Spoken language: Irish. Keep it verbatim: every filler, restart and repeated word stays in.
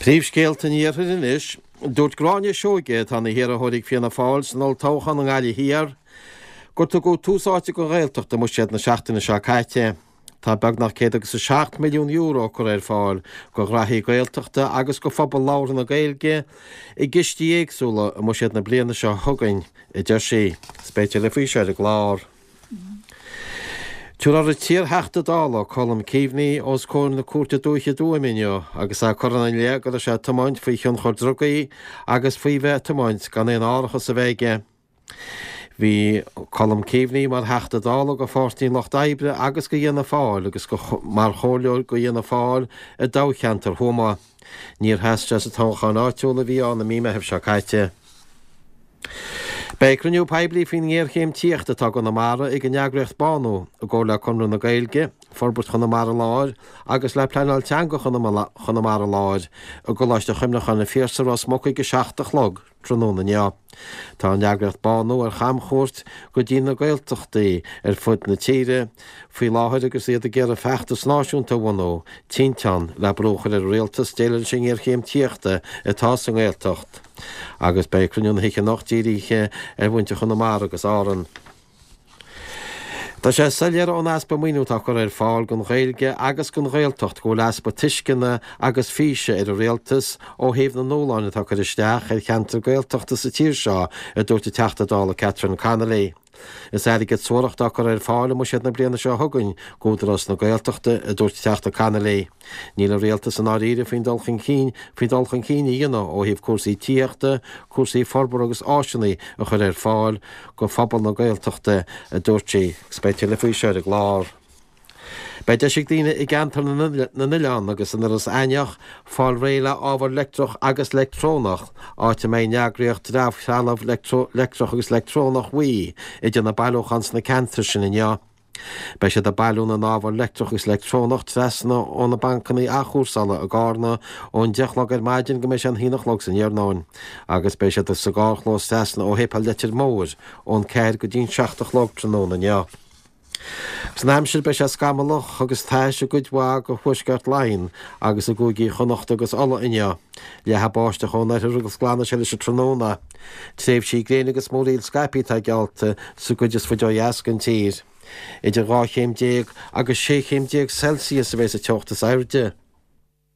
Príomhscéalta an Iarthair anois. Dúirt Gráinne Seoige, atá ina hiarrthóir ag Fianna Fáil san olltoghchán i nGaillimh Thiar, gur tugadh tús áite don Ghaeltacht i mbuiséad na seachtaine seo caite. Tá beagnach céad agus a seacht milliún euro curtha ar fáil do ghraithí Gaeltachta agus do phobal labhartha na Gaeilge i gcistí éagsúla i mbuiséad na bliana seo chugainn, a deir sí. Is beidh tuilleadh faoi seo ar an gclár. Tabharfar an t-iar-Theachta Dála, Colm Keaveney, os comhair na Cúirte Dúiche i dTuaim inniu agus é curtha ina leith go raibh sé ag tiomáint faoi thionchar drugaí agus faoi bheith ag tiomáint gan aon árachas a bheith aige. Bhí Colm Keaveney mar Theachta Dála do Pháirtí an Lucht Oibre agus do Fhianna Fáil agus mar chomhairleoir do Fhianna Fáil i dtoghcheantar Thuama. Níor sheas sé sa toghchán áitiúil a bhí ann i mí Meithimh seo caite. Beidh cruinniú poiblí faoin ngéarchéim tithíochta atá i gConamara ag an eagraíocht Bánú, i gcomhar le Conradh na Gaeilge, Forbairt Chonamara Láir agus le Pleanáil Teanga Chonamara Láir i gColáiste Chuimhneacháin an Phiarsaigh, Ros Muc ag a seacht a chlog tráthnóna inniu. Tá an eagraíocht Bánú ar chamchuairt go dtí na Gaeltachtaí ar fud na tíre faoi láthair agus iad ag iarraidh feachtas náisiúnta a bhunú, Tinteán, le brú a chur ar an rialtas déileáil leis an ngéarchéim tithíochta atá sa nGaeltacht. Agus beidh cruinniú na hoíche anocht dírithe ar mhuintir Chonamara agus Árann. Tá sé soiléir ón easpa maoiniú atá curtha ar fáil don Ghaeilge agus don Ghaeltacht go bhfuil easpa tuisceana agus físe ar an Rialtas ó thaobh na ndúshláin atá curtha isteach ar cheantair Gaeltachta sa tír seo, a dúirt an Teachta Dála Catherine Connolly. Is airgead suarach atá curtha ar fáil i mbuiséad na bliana seo chugainn d'Údarás na Gaeltachta, a dúirt Teachta Connolly. Níl an Rialtas i ndáiríre faoin dul chun cinn faoi dhul chun cinn a dhéanamh ó thaobh cúrsaí tithíochta, cúrsaí forbartha agus áiseanna a chur ar fáil do phobal na Gaeltachta, a dúirt sí. Agus beidh tuilleadh faoi seo ar an gclár. Beidh deis ag daoine i gceantar na nOileán agus in Iorras Aithneach fáil réidh le ábhar leictreach agus leictreonach, áit a mbeidh an eagraíocht Dramhthrealamh Leictreach agus Leictreonach WE ag déanamh bailiúchán sna ceantair sin inniu. Beidh siad ag bailiú na n-ábhar leictreach agus leictreonach trasna ó na bancanna athchúrsála i gCarna ón deich a chlog ar maidin go mbeidh sé an haon a chlog san iarnóin agus beidh siad sa gcarrchlós trasna ó Shéipéal Leitir Móir ón ceathair go dtí'n seacht a chlog tráthnóna inniu. San aimsir beidh sé scamallach agus tais i gcuid mhaith de thuaisceart Laighean agus i gcúigí Chonnacht agus Uladh inniu. Leathfaidh báisteach ón oirthear agus glanfaidh sé leis an tráthnóna. Tréimhsí gréine agus múraíl scaipthe atá geallta sa gcuid is faide ó dheas den tír. Idir dhá chéim déag agus sé chéim déag Celsius a bheidh sa teocht is airde.